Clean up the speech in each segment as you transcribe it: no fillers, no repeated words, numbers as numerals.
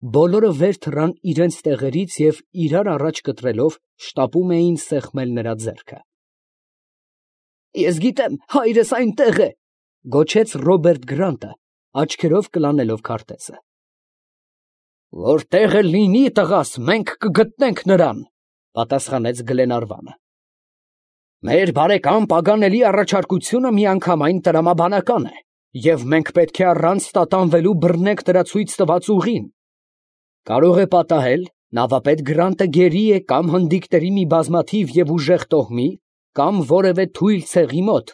Բոլորը վեր թռան իրենց տեղերից և իրար առաջ կտրելով շտապում էին սեղմել նրա ձեռքը։ Ես գիտեմ, հայրս այնտեղ է, ֊ գոչեց Ռոբերտ Գրանտը, աչքերով կլանելով քարտեզը։ Որտեղ էլ լինի, տղաս, մենք կգտնենք նրան, ֊ պատասխանեց Գլենարվանը։ Մեր բարեկամ Պագանելի առաջարկությունը միանգամայն տրամաբանական է, և մենք պետք է առանց տատանվելու բռնենք նրա ցույց տված ուղին։ Կարող է պատահել, նավապետ Գրանտը գերի է կամ հնդիկների մի բազմաթիվ և ուժեղ տոհմի, կամ որևէ թույլ ցեղի մոտ։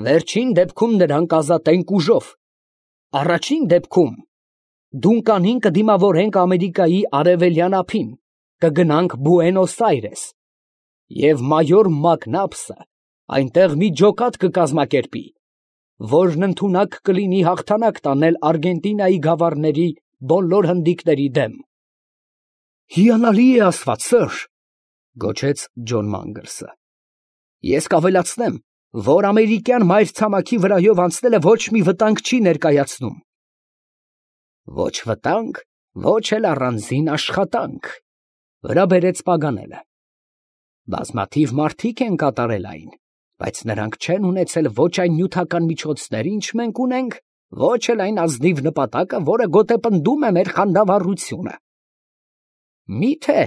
Վերջին դեպքում նրան կազատենք ուժով։ Առաջին դեպքում դունկանին կդիմավորենք Ամերիկայի արևելյան ափին, կգնանք Բուենոս Այրես, և մայոր Մակնաբսը այնտեղ մի ջոկատ կկազմակերպի, որն ընդունակ կլինի հաղթանակ տանել Արգենտինայի գավառների բոլոր հնդիկների դեմ։ Հիանալի է ասված, սըր, ֊ գոչեց Ջոն Մանգլսը։ Ես կավելացնեմ, որ ամերիկյան մայրցամաքի վրայով անցնելը ոչ մի վտանգ չի ներկայացնում։ Ոչ վտանգ, ոչ էլ առանձին աշխատանք, ֊ վրա բերեց Պագանելը։ Բազմաթիվ մարդիկ են կատարել այն, բայց նրանք չեն ունեցել ոչ այն նյութական միջոցները, ինչ մենք ունենք, ոչ էլ այն ազնիվ նպատակը, որը գոտեպնդում է մեր խանդավառությունը։ Միթե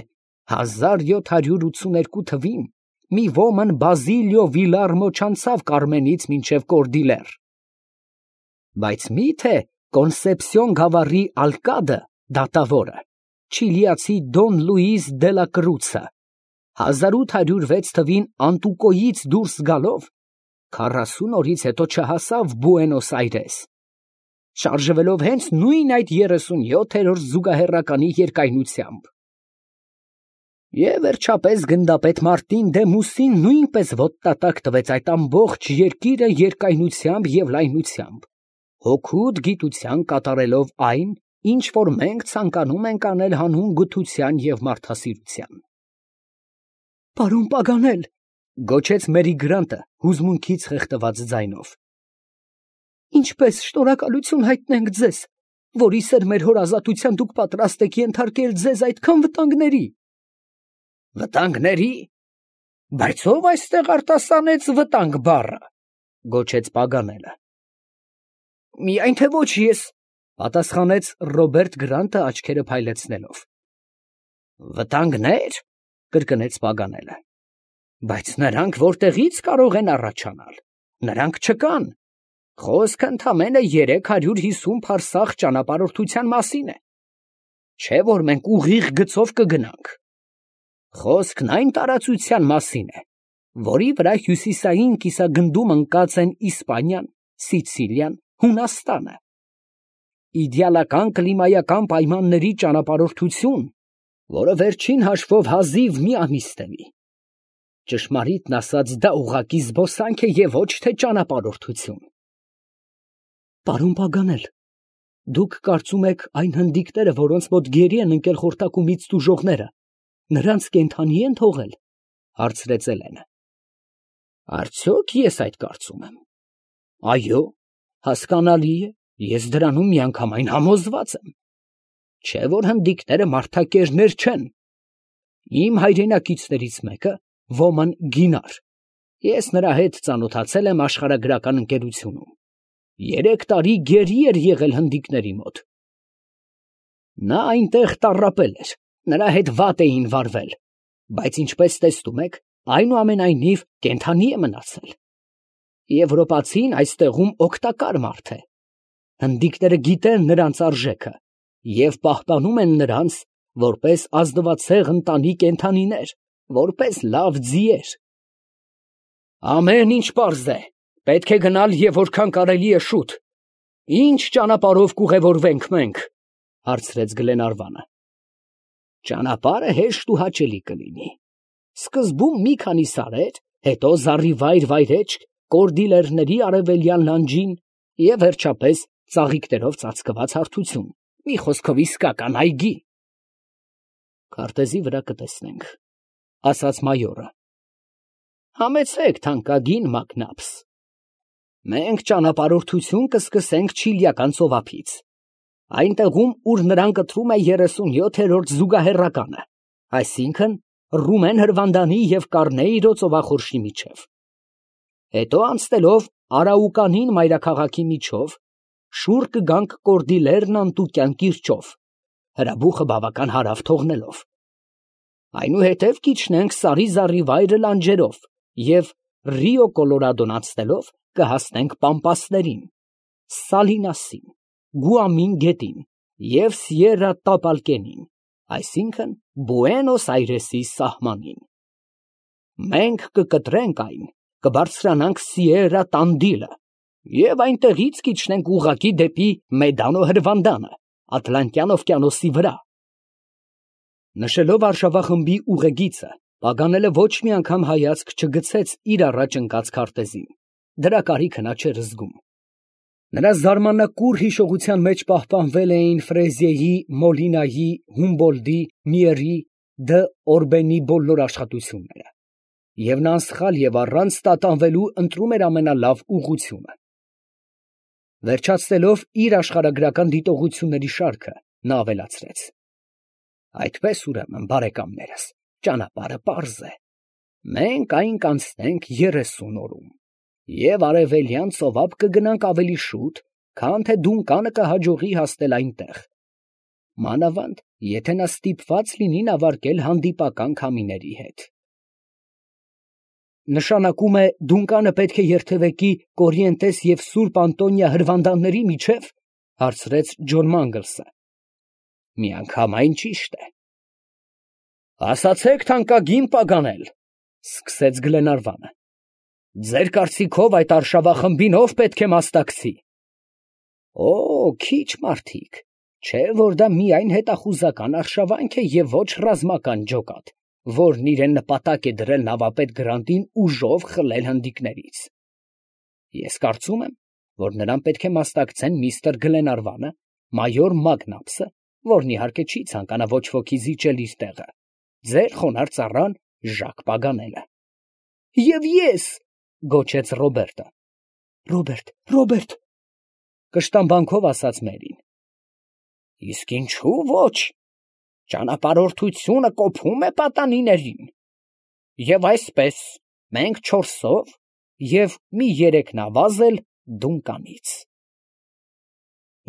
1782 թվին մի ոմն Բազիլիո Վիլարմո չանցավ Կարմենից մինչև Կորդիլեր։ Բայց միթե Կոնսեպսիոն գավառի ալկադը դատավորը, չիլիացի Դոն Լուիս դե լա Կրուցը, 1806 թվին Անտուկոյից դուրս գալով 40 օրից հետո չհասավ Բուենոս Այրես, շարժվելով հենց նույն այդ 37-րդ զուգահեռականի երկայնությամբ։ Եվ վերջապես գնդապետ Մարտին դե Մուսին նույնպես ոտնատակ տվեց այդ ամբողջ երկիրը երկայնությամբ և լայնությամբ, հօգուտ գիտության կատարելով այն, ինչ որ մենք ցանկանում ենք անել հանուն գթության և մարդասիրության։ Պարոն Պագանել, ֊ գոչեց Մերի Գրանտը հուզմունքից խեղդված ձայնով, ֊ ինչպես շնորհակալություն հայտնենք ձեզ, որի սերմեր հոր ազատության դուք պատրաստ եք ենթարկել ձեզ այդքան վտանգների։ Վտանգների։ Բայց ո՞վ այստեղ արտասանեց վտանգ բառը, ֊ գոչեց Պագանելը։ Միայն թե ոչ ես, ֊ պատասխանեց Ռոբերտ Գրանտը աչքերը փայլեցնելով։ Վտանգներ, ֊ կրկնեց Պագանելը։ Բայց նրանք որտեղից կարող են առաջանալ, նրանք չկան։ Խոսքը ընդամենը 350 փարսաղ ճանապարհորդության մասին է, չէ որ մենք ուղիղ գծով կգնանք։ Խոսքն այն տարածության մասին է, որի վրա հյուսիսային կիսագնդում ընկած են Իսպանիան, Սիցիլիան, Հունաստանը։ Իդեալական կլիմայական պայմանների ճանապարհորդություն, որը վերջին հաշվով հազիվ մի ամիս տևի։ Ճշմարիտն ասած, դա ուղղակի զբոսանք է և ոչ թե ճանապարհորդություն։ Պարոն Պագանել, դուք կարծում եք այն հնդիկները, որոնց մոտ գերի են ընկել խորտակումից տուժողները, նրանց կենդանի են թողել, ֊ հարցրեց Էլենը։ Արդյոք ես այդ կարծում եմ։ Այո, հասկանալի է, ես դրանում միանգամայն համոզված եմ։ Չէ որ հնդիկները մարդակերներ չեն։ Իմ հայրենակիցներից մեկը, ոմն Գինար, ես նրա հետ ծանոթացել եմ աշխարհագրական ընկերությունում, 3 տարի գերի էր եղել հնդիկների մոտ։ Նա այնտեղ տառապել էր, նրա հետ վատ էին վարվել, բայց ինչպես տեսնում եք, այնուամենայնիվ կենդանի է մնացել։ Եվրոպացին այստեղում օգտակար մարդ է։ Հնդիկները գիտեն նրանց արժեքը և պահպանում են նրանց որպես ազնվացեղ ընտանի կենդանիներ, որպես լավ ձիեր։ Ամեն ինչ պարզ է, պետք է գնալ և որքան կարելի է շուտ։ Ինչ ճանապարհով կուղևորվենք մենք, ֊ հարցրեց Գլենարվանը։ Ճանապարհը հեշտ ու հաճելի կլինի։ Սկզբում մի քանի սարեր, հետո զառիվայր վայրէջք Կորդիլերների արևելյան լանջին և վերջապես ծաղիկներով ծածկված հարթություն, մի խոսքով իսկական այգի։ Քարտեզի վրա կտեսնենք, ֊ ասաց մայորը։ Համեցեք, թանկագին Մակնաբս։ Մենք ճանապարհորդություն կսկսենք Չիլիական ծովափից, Այնտեղում, ուր նրան կտրում է 37-րդ զուգահեռականը, այսինքն Ռումեն Հրվանդանի և Կառնեիրո ծովախորշի միջև։ Հետո անցնելով Արաուկանին մայրաքաղաքի միջով, շուռ կգանք Կորդիլերն անտուկյան կիրճով, հրաբուխը բավական հարավ թողնելով։ Այնուհետև կիջնենք Սարի զառիվայրը լանջերով և Ռիո Կոլորադոն անցնելով կհասնենք Պամպասներին, Սալինասին, Գուամին գետին և Սիերա Տապալկենին, այսինքն Բուենոս Այրեսի սահմանին։ Մենք կկտրենք այն, կբարձրանանք Սիերա Տանդիլը և այնտեղից կիջնենք ուղղակի դեպի Մեդանո Հրվանդանը, Ատլանտյան օվկիանոսի վրա։ Նշելով արշավախմբի ուղեգիծը, Պագանելը ոչ մի անգամ հայացք չգցեց իր առաջ ընկած քարտեզին, դրա կարիքը նա չէր զգում։ Նրա զարմանակուր հիշողության մեջ պահպանվել էին Ֆրեզիեի, Մոլինայի, Հումբոլդի, Միերի, Դ. Օրբենի բոլոր աշխատությունները, և նա անսխալ և առանց տատանվելու ընտրում էր ամենալավ ուղղությունը։ Վերջացնելով իր աշխարհագրական դիտողությունների շարքը, նա ավելացրեց. Այդպես ուրեմն, բարեկամներս, ճանապարհը պարզ է. մենք այն կանցնենք 30 օրում և արևելյան ծովափ կգնանք ավելի շուտ, քան թե Դունկանը կհաջողի հասնել այնտեղ, մանավանդ եթե նա ստիպված լինի նավարկել հանդիպական քամիների հետ։ Նշանակում է Դունկանը պետք է երթևեկի Կորիենտես և Սուրբ Անտոնիա հրվանդանների միջև, հարցրեց Ջոն Մանգլսը։ Միանգամայն ճիշտ է։ Ասացեք, թանկագին Պագանել, սկսեց Գլենարվանը, ձեր կարծիքով այդ արշավախմբին ով պետք է մասնակցի։ Օ, քիչ մարդիկ, չէ որ դա միայն հետախուզական արշավանք է և ոչ ռազմական ջոկատ, որն իրեն նպատակ է դրել նավապետ Գրանտին ուժով խլել հնդիկներից։ Ես կարծում եմ, որ նրան պետք է մասնակցեն միստր Գլենարվանը, մայոր Մագնապսը, որն իհարկե չի ցանկանա ոչ ոքի զիջել իր տեղը, ձեր խոնարհ ծառան Ժակ Պագանելը։ Եվ ես, գոչեց Ռոբերտը։ Ռոբերտ, կշտամբանքով ասաց Մերին։ Իսկ ինչու ոչ, ճանապարհորդությունը կոփում է պատանիներին։ Եվ այսպես, մենք 4-ով և մի 3 նավազ էլ Դունկանից։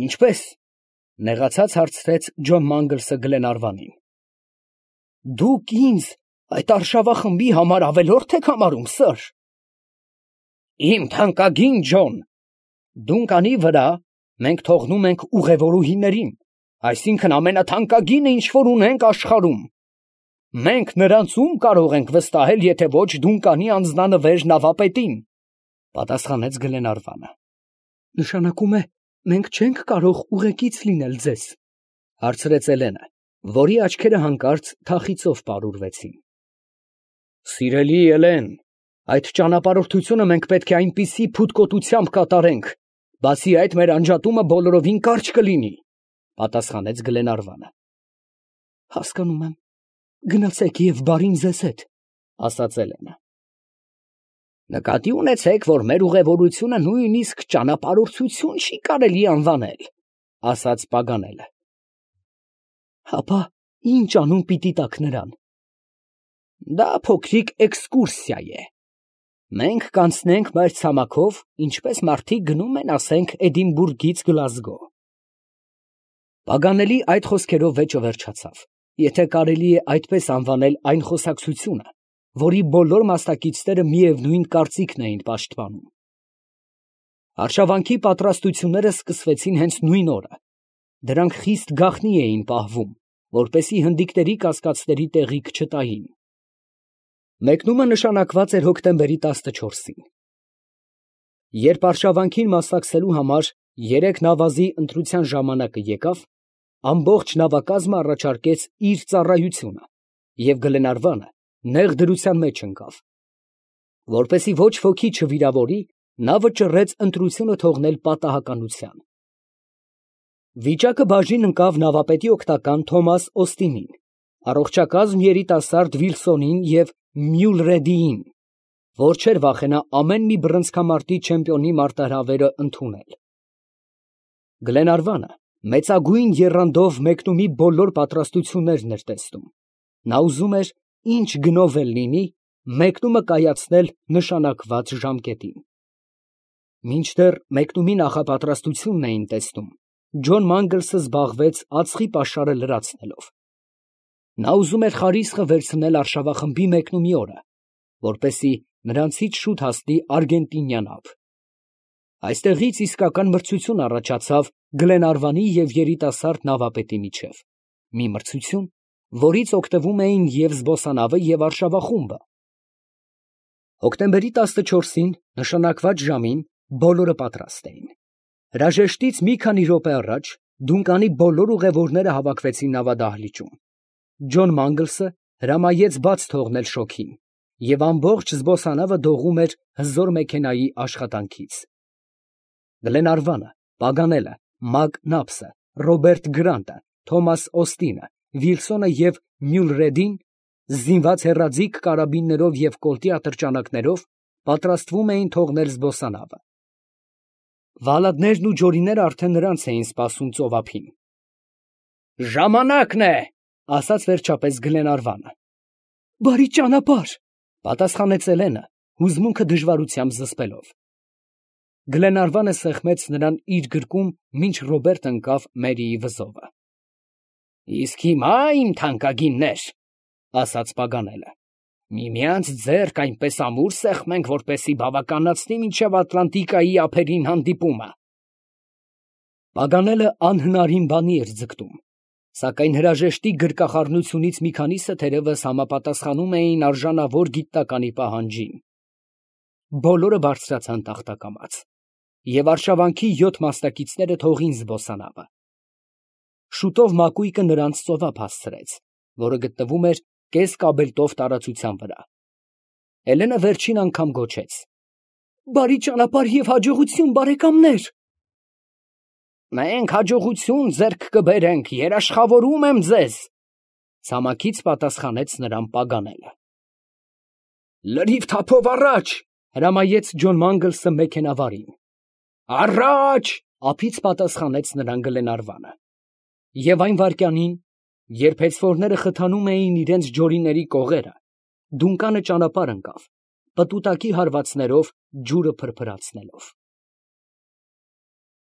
Ինչպես, նեղացած հարցրեց Ջոն Մանգլսը Գլենարվանին։ Դուք ինձ այդ արշավախմբի համար ավելորդ եք համարում, սըր։ Իմ թանկագին Ջոն, Դունկանի վրա մենք թողնում ենք ուղևորուհիներին, այսինքն ամենաթանկագինը, ինչ որ ունենք աշխարհում։ Մենք նրանց ում կարող ենք վստահել, եթե ոչ Դունկանի անձնանվեր նավապետին, պատասխանեց Գլենարվանը։ Նշանակում է, մենք չենք կարող ուղեկից լինել ձեզ, հարցրեց Էլենը, որի աչքերը հանկարծ թախիծով պարուրվեցին։ Սիրելի Էլեն, այդ ճանապարհորդությունը մենք պետք է այնպիսի փութկոտությամբ կատարենք, բացի այդ մեր անջատումը բոլորովին կարճ կլինի, պատասխանեց Գլենարվանը։ Հասկանում եմ, գնացեք և բարին ձեզ հետ, ասաց Էլենը։ Նկատի ունեցեք, որ մեր ուղևորությունը նույնիսկ ճանապարհորդություն չի կարելի անվանել, ասաց Պագանելը։ Հապա ինչ անուն պիտի տաք նրան։ Դա փոքրիկ էքսկուրսիա է։ Մենք կանցնենք մայրցամաքով, ինչպես մարդիկ գնում են, ասենք, Էդինբուրգից Գլազգո։ Պագանելի այդ խոսքերով վեճը վերջացավ, եթե կարելի է այդպես անվանել այն խոսակցությունը, որի բոլոր մասնակիցները միևնույն կարծիքն էին պաշտպանում։ Արշավանքի պատրաստությունները սկսվեցին հենց նույն օրը։ Դրանք խիստ գաղտնի էին պահվում, որպեսզի հնդիկների կասկածների տեղիք չտային։ Մեկնումը նշանակված էր հոկտեմբերի 14-ին։ Երբ արշավանքին մասնակցելու համար 3 նավազի ընտրության ժամանակը եկավ, ամբողջ նավակազմը առաջարկեց իր ծառայությունը, և Գլենարվանը նեղ դրության մեջ ընկավ։ Որպեսզի ոչ ոքի չվիրավորի, նա վճռեց ընտրությունը թողնել պատահականության։ Վիճակը բաժին ընկավ նավապետի օգնական Թոմաս Օստինին, առողջակազմ երիտասարդ Վիլսոնին և Մյուլրեդիին, որ չէր վախենա ամեն մի բռնցքամարտի չեմպիոնի մարտահրավերը ընդունել։ Գլենարվանը Մեծագույն եռանդով մեկնումի բոլոր պատրաստություններն էր տեսնում։ Նա ուզում էր ինչ գնով էլ լինի մեկնումը կայացնել նշանակված ժամկետին։ Մինչդեռ մեկնումի նախապատրաստությունն էին տեսնում, Ջոն Մանգլսը զբաղվեց ածխի պաշարը լրացնելով։ Նա ուզում էր խարիսխը վերցնել արշավախմբի մեկնումի օրը, որպեսզի նրանցից շուտ հասնի արգենտինյան ափ։ Այստեղից իսկական մրցություն առաջացավ Գլենարվանի և երիտասարդ նավապետի միջև, մի մրցություն, որից օգտվում էին և զբոսանավը, և արշավախումբը։ Հոկտեմբերի 14-ին նշանակված ժամին բոլորը պատրաստ էին։ Հրաժեշտից մի քանի րոպե առաջ Դունկանի բոլոր ուղևորները հավաքվեցին նավադահլիճում։ Ջոն Մանգլսը հրամայեց բաց թողնել շոգին, և ամբողջ զբոսանավը դողում էր հզոր մեքենայի աշխատանքից։ Գլենարվանը, Պագանելը, Մակ Նափսը, Ռոբերտ Գրանտը, Թոմաս Օստինը, Վիլսոնը և Մյուլրեդին, զինված հեռաձիգ կարաբիններով և կոլտի ատրճանակներով, պատրաստվում էին թողնել զբոսանավը։ Վալադներն ու ջորիները արդեն նրանց էին սպասում ծովափին։ «Ժամանակն է», ֊ ասաց վերջապես Գլենարվանը։ «Բարի ճանապարհ», ֊ պատասխանեց Էլենը, հուզմունքը դժվարությամբ զսպելով։ Գլենարվանը սեղմեց նրան իր գրկում, մինչ Ռոբերտը ընկավ Մերիի վզովը։ «Իսկ հիմա, իմ թանկագիններ, ֊ ասաց Պագանելը, ֊ միմյանց ձեռք այնպես ամուր սեղմենք, որպեսզի բավականացնի մինչև Ատլանտիկայի ափերին հանդիպումը»։ Պագանելը անհնարին բանի էր ձգտում, սակայն հրաժեշտի գրկախառնությունից մի քանիսը թերևս համապատասխանում էին արժանավոր գիտականի պահանջին։ Բոլորը բարձրացան տախտակամաց, և արշավանքի 7 մասնակիցները թողին զբոսանավը։ Շուտով մակույկը նրանց ծովափ հասցրեց, որը գտնվում էր կես կաբելտով տարածության վրա։ Էլենը վերջին անգամ գոչեց. «Բարի ճանապարհ և հաջողություն, բարեկամներ»։ «Մենք հաջողություն ձեռք կբերենք, երաշխավորում եմ ձեզ, ֊ ցամաքից պատասխանեց նրան Պագանելը։ «Լրիվ թափով առաջ», ֊ հրամայեց Ջոն Մանգլսը մեքենավարին։ «Առաջ», ֊ ափից պատասխանեց նրան Գլենարվանը։ Եվ այն վայրկյանին, երբ հեծվորները խթանում էին իրենց ջորիների կողերը, Դունկանը ճանապարհ ընկավ, պտուտակի հարվածներով ջուրը փրփրացնելով։